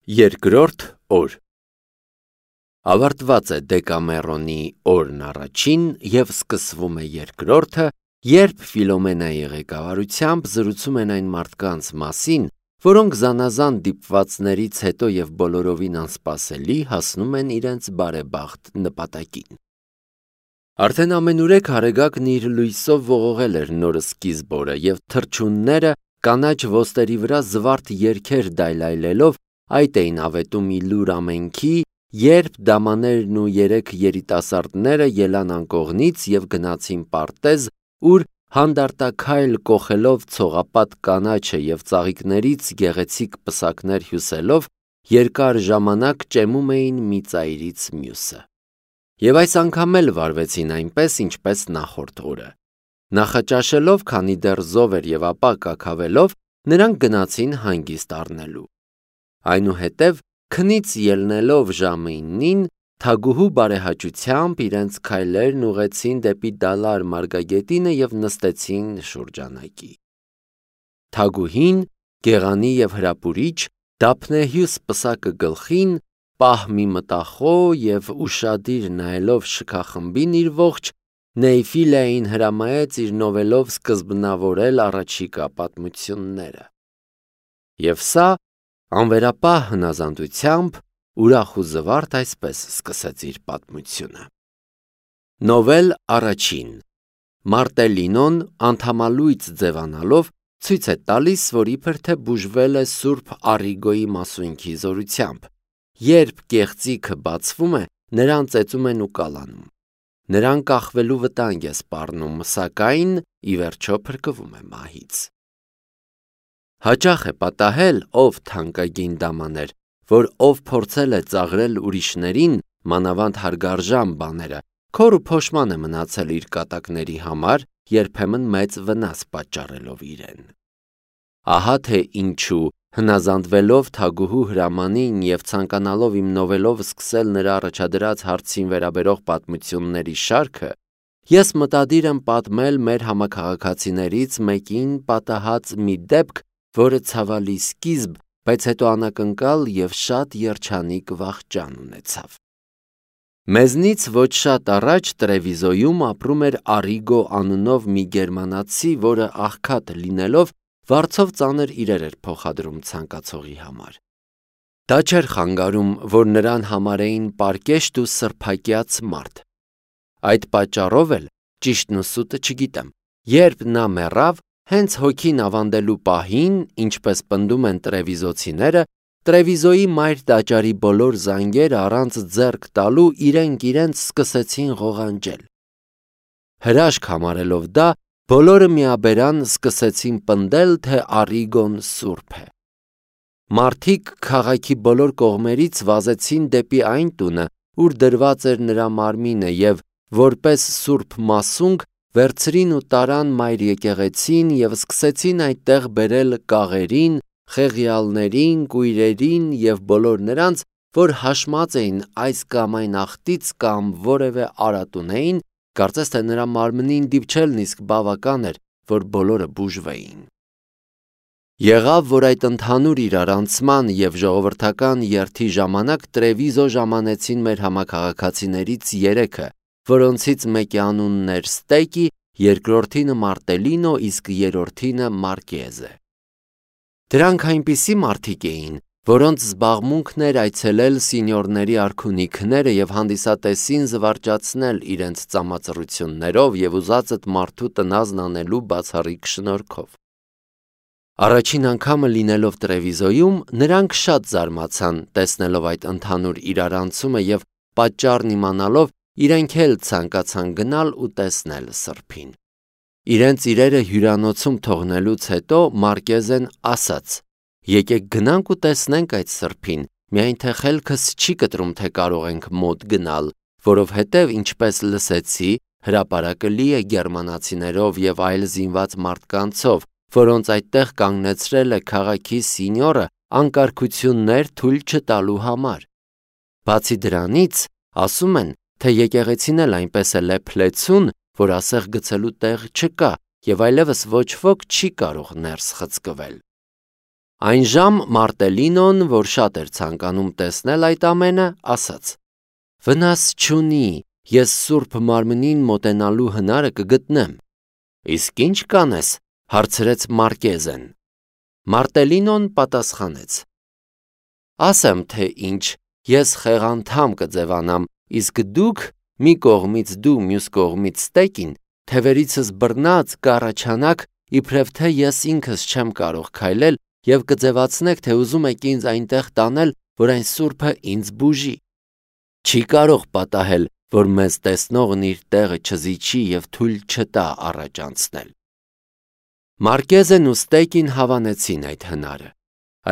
Երկրորդ օր Ավարտված է Դեկամերոնի օրն առաջին և սկսվում է երկրորդը, երբ Ֆիլոմենայի ղեկավարությամբ զրուցում են այն մարդկանց մասին, որոնք զանազան դիպվածներից հետո և բոլորովին անսպասելի հասնում են իրենց բարեբախտ նպատակին։ Արդեն ամենուրեք Արեգակն իր լույսով ողողել էր նոր սկիզբ օրը, և թռչունները կանաչ ոստերի վրա զվարթ երգեր դայլայլելով այդ էին ավետում ի լուր ամենքի, երբ դամաներն ու երեք երիտասարդները ելան անկողնից և գնացին պարտեզ, ուր հանդարտաքայլ կոխելով ցողապատ կանաչը և ծաղիկներից գեղեցիկ պսակներ հյուսելով, երկար ժամանակ ճեմում էին մի ծայրից մյուսը։ Եվ այս անգամ էլ վարվեցին այնպես, ինչպես նախորդ օրը։ Նախաճաշելով, քանի դեռ զով էր և ապա կաքավելով, նրանք գնացին հանգիստ առնելու։ Այնուհետև, քնից ելնելով ժամը 9-ին, թագուհու բարեհաճությամբ իրենց քայլերն ուղղեցին դեպի Դալար մարգագետինը և նստեցին շուրջանակի։ Թագուհին, գեղանի և հրապուրիչ, դափնեհյուս պսակը գլխին, պահ մի մտախոհ և ուշադիր նայելով շքախմբին իր ողջ, Նեյֆիլիային հրամայեց իր նովելով սկզբնավորել առաջիկա պատմությունները։ Եվ սա, անվերապահ հնազանդությամբ, ուրախ ու զվարթ այսպես սկսեց իր պատմությունը։ Նովել առաջին Մարտելինոն անդամալույծ ձևանալով ցույց է տալիս, որ իբր թե բուժվել է Սուրբ Առիգոյի մասունքի զորությամբ։ Երբ կեղծիքը բացվում է, նրան ծեծում են ու կալանում։ Նրան կախվելու վտանգ է սպառնում, սակայն ի վերջո փրկվում է մահից։ Հաճախ է պատահել, ով թանկագին դամաներ, որ ով փորձել է ծաղրել ուրիշներին, մանավանդ հարգարժան բաները, քոր ու փոշման է մնացել իր կատակների համար, երբեմն մեծ վնաս պատճառելով իրեն։ Ահա թե ինչու, հնազանդվելով թագուհու հրամանին և ցանկանալով իմ նովելով սկսել նրա առաջադրած հարցին վերաբերող պատմությունների շարքը, ես մտադիր եմ պատմել մեր համաքաղաքացիներից մեկին պատահած մի դեպք, որը ցավալի սկիզբ, բայց հետո անակնկալ և շատ երջանիկ վախճան ունեցավ։ Մեզնից ոչ շատ առաջ Տրևիզոյում ապրում էր Առիգո անունով մի գերմանացի, որը աղքատ լինելով, վարձով ծանր իրեր էր փոխադրում ցանկացողի համար։ Դա չէր խանգարում, որ նրան համարեին պարկեշտ ու սրբակյաց մարդ։ Այդ պատճառով էլ, ճիշտն ու սուտը չգիտեմ, երբ նա մեռավ, հենց հոգին ավանդելու պահին, ինչպես պնդում են տրևիզոցիները, Տրևիզոյի մայր տաճարի բոլոր զանգերը առանց ձեռք տալու իրենք սկսեցին ղողանջել։ Հրաշք համարելով դա, բոլորը միաբերան սկսեցին պնդել, թե Առիգոն սուրբ է։ Մարդիկ քաղաքի բոլոր կողմերից վազեցին դեպի այն տունը, ուր դրված էր նրա մարմինը, և որպես սուրբ մասունք վերցրին ու տարան մայր եկեղեցին և սկսեցին այդտեղ բերել կաղերին, խեղյալներին, կույրերին և բոլոր նրանց, որ հաշմած էին այս կամ այն աղտից կամ որևէ արատ ունեին, կարծես թե նրա մարմնին դիպչելն իսկ բավական էր, որ բոլորը բուժվեին։ Եղավ, որ այդ ընդհանուր իրարանցման և ժողովրդական երթի ժամանակ Տրևիզո ժամանեցին մեր համաքաղաքացիներից 3-ը, որոնցից մեկի անունն էր Ստեկի, երկրորդինը Մարտելինո, իսկ երրորդինը Մարկեզե։ Դրանք այնպիսի մարդիկ էին, որոնց զբաղմունքն էր այցելել սինյորների արքունիքները և հանդիսատեսին զվարճացնել իրենց ծամածռություններով և ուզածդ մարդու տնազն անելու բացառիկ շնորհքով։ Առաջին անգամը լինելով Տրևիզոյում, նրանք շատ զարմացան, տեսնելով այդ ընդհանուր իրարանցումը և պատճառն իմանալով, իրենք էլ ցանկացան գնալ ու տեսնել սրբին։ Իրենց իրերը հյուրանոցում թողնելուց հետո Մարկեզեն ասաց. «Եկեք գնանք ու տեսնենք այդ սրբին, միայն թե խելքս չի կտրում, թե կարող ենք մոտ գնալ, որովհետև, ինչպես լսեցի, հրապարակը լի է գերմանացիներով և այլ զինված մարդկանցով, որոնց այդտեղ կանգնեցրել է քաղաքի սինյորը անկարգություններ թույլ չտալու համար։ Բացի դրանից, ասում են, թե եկեղեցին էլ այնպես է լեփլեցուն, որ ասեղ գցելու տեղ չկա և այլևս ոչ ոք չի կարող ներս խցկվել։ Այն ժամ Մարտելինոն, որ շատ էր ցանկանում տեսնել այդ ամենը, ասաց. «Վնաս չունի, ես Սուրբ Մարմնին մոտենալու հնարը կգտնեմ»։ «Իսկ ի՞նչ կանես», հարցրեց Մարկեզեն։ Մարտելինոն պատասխանեց. «Ասեմ, թե ինչ, ես խեղանդամ կձևանամ, իսկ դուք, մի կողմից դու, մյուս կողմից Ստեկին, թևերիցս բռնած կառաջանաք, իբրև թե ես ինքս չեմ կարող քայլել և կձևացնեք, թե ուզում եք ինձ այնտեղ տանել, որ այն Սուրբը ինձ բուժի։ Չի կարող պատահել, որ մեզ տեսնողն իր տեղը չզիջի և թույլ չտա առաջ անցնել»։ Մարկեզեն ու Ստեկին հավանեցին այդ հնարը։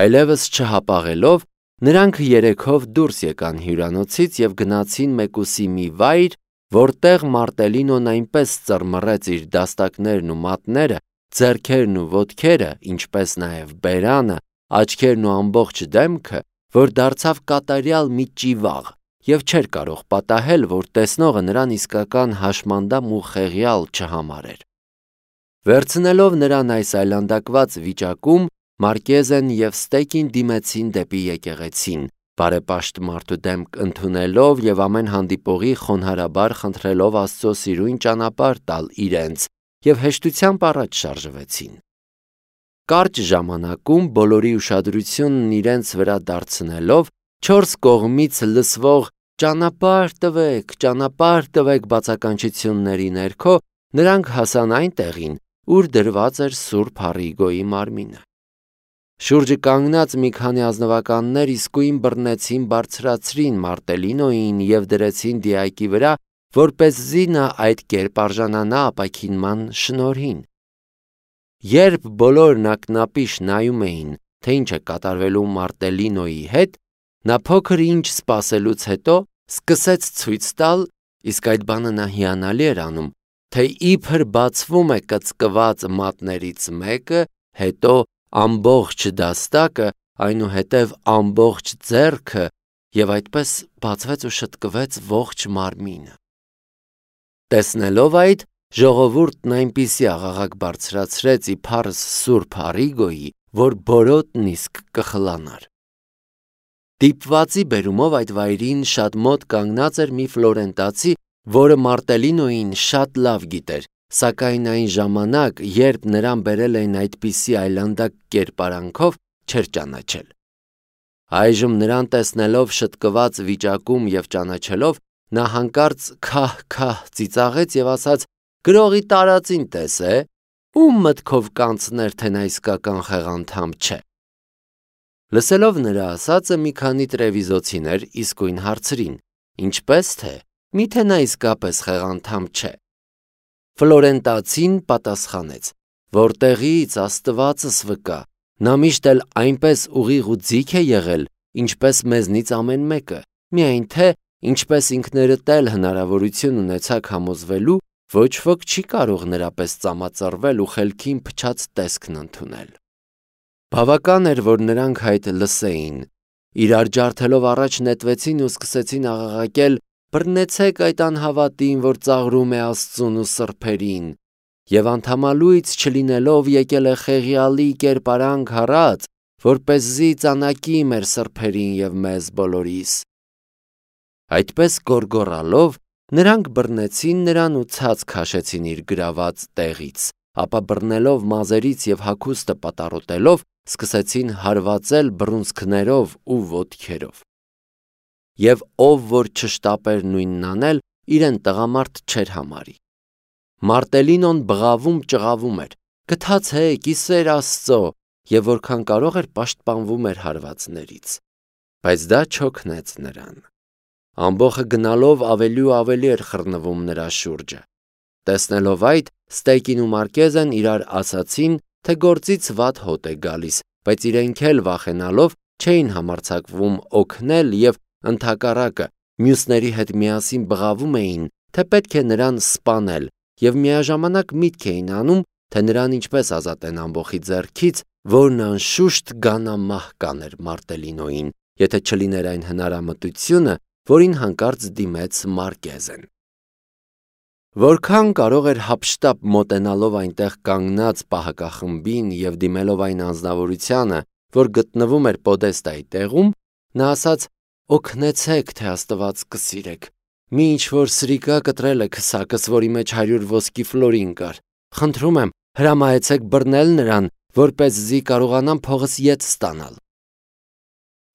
Այլևս չհապաղելով, նրանք երեքով դուրս եկան հյուրանոցից և գնացին մեկուսի մի վայր, որտեղ Մարտելինոն այնպես ծռմռեց իր դաստակներն ու մատները, ձեռքերն ու ոտքերը, ինչպես նաև բերանը, աչքերն ու ամբողջ դեմքը, որ դարձավ կատարյալ մի ճիվաղ և չէր կարող պատահել, որ տեսնողը նրան իսկական հաշմանդամ ու խեղյալ չհամարեր։ Վերցնելով նրան այս այլանդակված վիճակում, Մարկեզեն և Ստեկին դիմեցին դեպի եկեղեցին, բարեպաշտ մարդու դեմք ընդունելով և ամեն հանդիպողի խոնարհաբար խնդրելով Աստծո սիրուն ճանապարհ տալ իրենց, և հեշտությամբ առաջ շարժվեցին։ Կարճ ժամանակում բոլորի ուշադրությունն իրենց վրա դարձնելով, չորս կողմից լսվող ճանապարհ տվեք» բացականչությունների ներքո, նրանք հասան այն տեղին, ուր դրված էր Սուրբ Առիգոյի մարմինը։ Շուրջը կանգնած մի քանի ազնվականներ իսկույն բռնեցին բարձրացրին Մարտելինոյին և դրեցին դիակի վրա, որպեսզի նա այդ կերպ արժանանա ապաքինման շնորհին։ Երբ բոլորն ակնապիշ նայում էին, թե ինչ է կատարվելու Մարտելինոյի հետ, նա փոքր ինչ սպասելուց հետո սկսեց ցույց տալ, իսկ այդ բանը նա հիանալի էր անում, թե իբր բացվում է կծկված մատներից մեկը, հետո ամբողջ դաստակը, այնուհետև ամբողջ ձեռքը, և այդպես բացվեց ու շտկվեց ողջ մարմինը։ Տեսնելով այդ, ժողովուրդն այնպիսի աղաղակ բարձրացրեց իբարս Սուրբ Առիգոյի, որ բորոտն իսկ կխլանար։ Դիպվածի բերումով այդ վայրին շատ մոտ կանգնած էր մի ֆլորենտացի, որը Մարտելինոյին շատ լավ գիտեր, սակայն այն ժամանակ, երբ նրան բերել էին այդպիսի այլանդակ կերպարանքով, չէր ճանաչել։ Այժմ նրան տեսնելով շտկված վիճակում և ճանաչելով, նա հանկարծ քահ-քահ ծիծաղեց և ասաց. «Գրողի տարածին տես է, ում մտքով կանցներ, թե նա իսկական խեղանդամ չէ»։ Լսելով նրա ասածը, մի քանի տրևիզոցիներ իսկույն հարցրին. «Ինչպես թե, միթե նա իսկապես խեղանդամ չէ»։ Ֆլորենտացին պատասխանեց. «Որտեղից, Աստվածս վկա, նա միշտ էլ այնպես ուղիղ ու ձիգ է եղել, ինչպես մեզնից ամեն մեկը, միայն թե, ինչպես ինքներդ էլ հնարավորություն ունեցաք համոզվելու, ոչ ոք չի կարող նրա պես ծամածռվել ու խելքին փչած տեսքն ընդունել»։ Բավական էր, որ նրանք այդ լսեին, իրար ջարդելով առաջ նետվեցին ու սկսեցին աղաղակել. «Բռնեցեք այդ անհավատին, որ ծաղրում է Աստծուն ու սրբերին, և անդամալույց չլինելով եկել է խեղյալի կերպարանք առած, որպեսզի ծանակի մեր սրբերին և մեզ բոլորիս»։ Այդպես գոռգոռալով, նրանք բռնեցին նրան ու ցած քաշեցին իր գրաված տեղից, ապա բռնելով մազերից և հագուստը պատառոտելով, սկսեցին հարվածել բռունցքներով ու ոտքերով։ Եվ ով որ չշտապեր նույնն անել, իրեն տղամարդ չէր համարի։ Մարտելինոն բղավում-ճղավում էր. «Գթացեք, ի սեր Աստծո», և որքան կարող էր պաշտպանվում էր հարվածներից։ Բայց դա չօգնեց նրան։ Ամբոխը գնալով ավելի ու ավելի էր խռնվում նրա շուրջը։ Տեսնելով այդ, Ստեկին ու Մարկեզեն իրար ասացին, թե գործից վատ հոտ է գալիս, բայց իրենք էլ վախենալով չէին համարձակվում օգնել և ընդհակառակը մյուսների հետ միասին բղավում էին, թե պետք է նրան սպանել և միաժամանակ միտք էին անում, թե նրան ինչպես ազատեն ամբոխի ձեռքից, որն անշուշտ գանամահ կաներ Մարտելինոյին, եթե չլիներ այն հնարամտությունը, որին հանկարծ դիմեց Մարկեզեն։ Որքան կարող էր հափշտապ մոտենալով այնտեղ կանգնած պահակախմբին և դիմելով այն անձնավորությանը, որ գտնվում էր պոդեստայի տեղում, նա ասաց. «Օգնեցեք, թե Աստված կսիրեք։ Մի ինչ-որ սրիկա կտրել է քսակս, որի մեջ 100 ոսկի ֆլորին կար։ Խնդրում եմ, հրամայեցեք բռնել նրան, որպեսզի կարողանամ փողս ետ ստանալ»։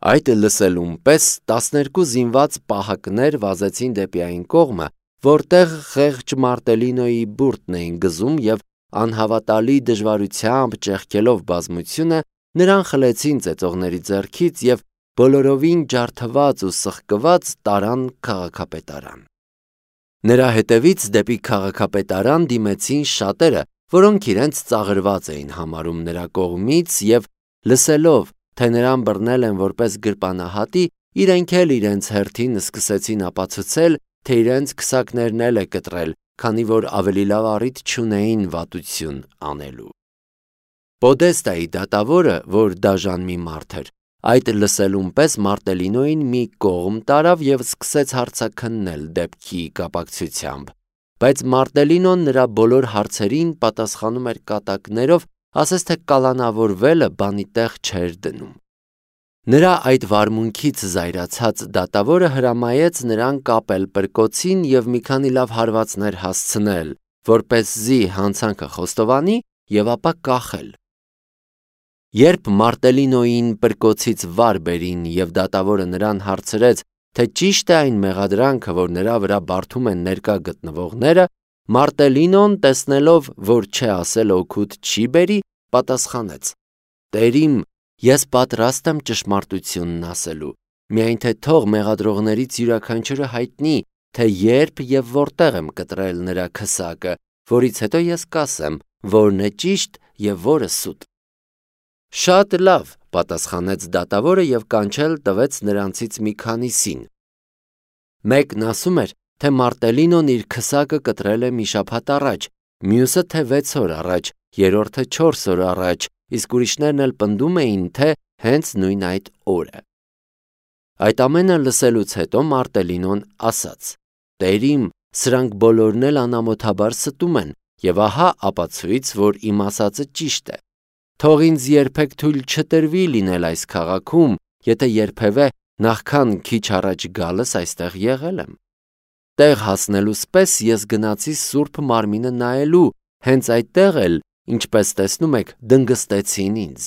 Այդ լսելուն պես 12 զինված պահակներ վազեցին դեպի այն կողմը, որտեղ խեղճ Մարտելինոյի բուրդն էին գզում և անհավատալի դժվարությամբ ճեղքելով բազմությունը նրան խլեցին ծեծողների ձեռքից և բոլորովին ջարդված ու սխկված տարան քաղաքապետարան։ Նրա հետևից դեպի քաղաքապետարան դիմեցին շատերը, որոնք իրենց ծաղրված էին համարում նրա կողմից և լսելով, թե նրան բռնել են որպես գրպանահատի, իրենք էլ իրենց հերթին սկսեցին ապացուցել, թե իրենց քսակներն էլ է կտրել, քանի որ ավելի լավ առիթ չունեին վատություն անելու։ Պոդեստայի դատավորը, որ դաժան մի մարդ էր, այդ լսելուն պես Մարտելինոյին մի կողմ տարավ և սկսեց հարցաքննել դեպքի կապակցությամբ, բայց Մարտելինոն նրա բոլոր հարցերին պատասխանում էր կատակներով, ասես թե կալանավորվելը բանի տեղ չէր դնում։ Նրա այդ վարմունքից զայրացած դատավորը հրամայեց նրան կապել պրկոցին և մի քանի լավ հարվածներ հասցնել, որպեսզի հանցանքը խոստովանի և ապա կախել։ Երբ Մարտելինոյին պրկոցից վար բերին և դատավորը նրան հարցրեց, թե ճիշտ է այն մեղադրանքը, որ նրա վրա բարդում են ներկա գտնվողները, Մարտելինոն, տեսնելով, որ չէ ասել օգուտ չի բերի, պատասխանեց. «Տերիմ, ես պատրաստ եմ ճշմարտությունն ասելու, միայն թե թող մեղադրողներից յուրաքանչյուրը հայտնի, թե երբ և որտեղ եմ կտրել նրա քսակը, որից հետո ես կասեմ, որն է ճիշտ և որը սուտ»։ «Շատ լավ», պատասխանեց դատավորը և կանչել տվեց նրանցից մի քանիսին։ Մեկն ասում էր, թե Մարտելինոն իր քսակը կտրել է մի շաբաթ առաջ, մյուսը, թե 6 օր առաջ, երրորդը 4 օր առաջ, իսկ ուրիշներն էլ պնդում էին, թե հենց նույն այդ օրը։ Այդ ամենը լսելուց հետո Մարտելինոն ասաց. «Տերիմ, սրանք բոլորն էլ անամոթաբար ստում են, և ահա ապացույց, որ իմ ասածը ճիշտ է։ Թող ինձ երբեք թույլ չտրվի լինել այս քաղաքում, եթե երբևէ նախքան քիչ առաջ գալս այստեղ եղել եմ։ Տեղ հասնելուց պես ես գնացի Սուրբ Մարմինը նայելու, հենց այդտեղ էլ, ինչպես տեսնում եք, դնգստեցին ինձ։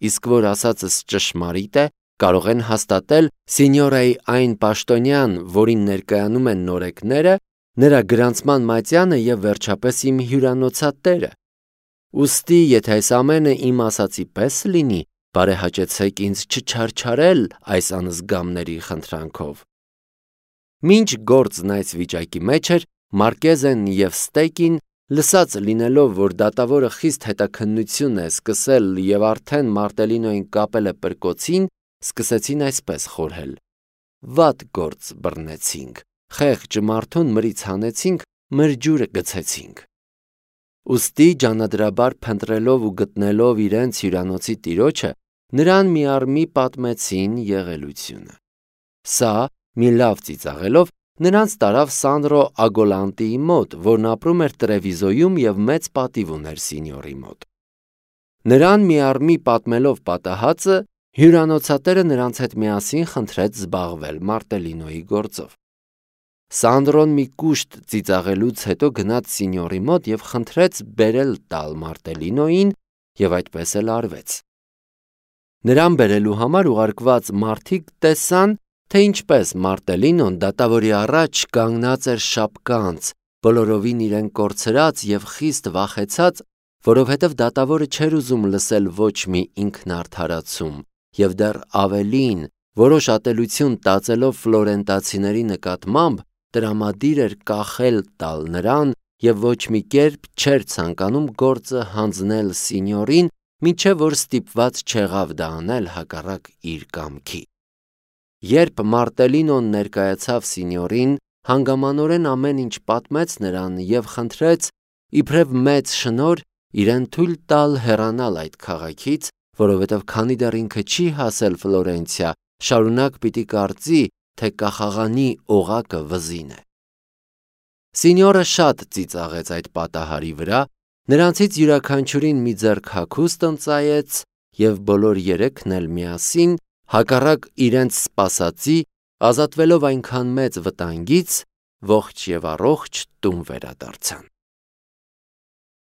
Իսկ որ ասածս ճշմարիտ է, կարող են հաստատել Սինյորայի այն պաշտոնյան, որին ներկայանում են նորեկները, նրա գրանցման մատյանը և վերջապես իմ հյուրանոցատերը։ Ուստի, եթե այս ամենը իմ ասածի պես լինի, բարեհաճեցեք ինձ չչարչարել այս անզգամների խնդրանքով»։ Մինչ գործն այս վիճակի մեջ էր, Մարկեզեն և Ստեկին, լսած լինելով, որ դատավորը խիստ հետաքննություն է սկսել և արդեն Մարտելինոյին կապել է պրկոցին, սկսեցին այսպես խորհել. «Վատ գործ բռնեցինք, խեղճ մարդուն մրից հանեցինք, մրջուրը գցեցինք»։ Ուստի ջանադրաբար փնտրելով ու գտնելով իրենց հյուրանոցի տիրոջը, նրան միառմի պատմեցին եղելությունը։ Սա, մի լավ ծիծաղելով, նրանց տարավ Սանդրո Ագոլանտիի մոտ, որն ապրում էր Տրևիզոյում և մեծ պատիվ ուներ Սինյորի մոտ։ Նրան միառմի պատմելով պատահածը, հյուրանոցատերը նրանց հետ միասին խնդրեց զբաղվել Մարտելինոյի գործով։ Սանդրոն մի կուշտ ծիծաղելուց հետո գնաց Սինյորի մոտ և խնդրեց բերել տալ Մարտելինոյին, և այդպես էլ արվեց։ Նրան բերելու համար ուղարկված մարդիկ տեսան, թե ինչպես Մարտելինոն դատավորի առաջ կանգնած էր շապկանց, բոլորովին իրեն կորցրած և խիստ վախեցած, որովհետև դատավորը չէր ուզում լսել ոչ մի ինքնարդարացում, և դեռ ավելին, որոշ ատելություն տածելով ֆլորենտացիների նկատմամբ, տրամադիր էր կախել տալ նրան և ոչ մի կերպ չէր ցանկանում գործը հանձնել Սինյորին, մինչև որ ստիպված չեղավ դա անել հակառակ իր կամքի։ Երբ Մարտելինոն ներկայացավ Սինյորին, հանգամանորեն ամեն ինչ պատմեց նրան և խնդրեց, իբրև մեծ շնորհ, իրեն թույլ տալ հեռանալ այդ քաղաքից, որովհետև քանի դեռ ինքը չի հասել Ֆլորենցիա, շարունակ պիտի կարծի, թե կախաղանի օղակը վզին է։ Սինյորը շատ ծիծաղեց այդ պատահարի վրա, նրանցից յուրաքանչյուրին մի ձեռք հագուստ ընծայեց և բոլոր երեքն էլ միասին, հակառակ իրենց սպասածի, ազատվելով այնքան մեծ վտանգից, ողջ և առողջ տուն վերադարձան։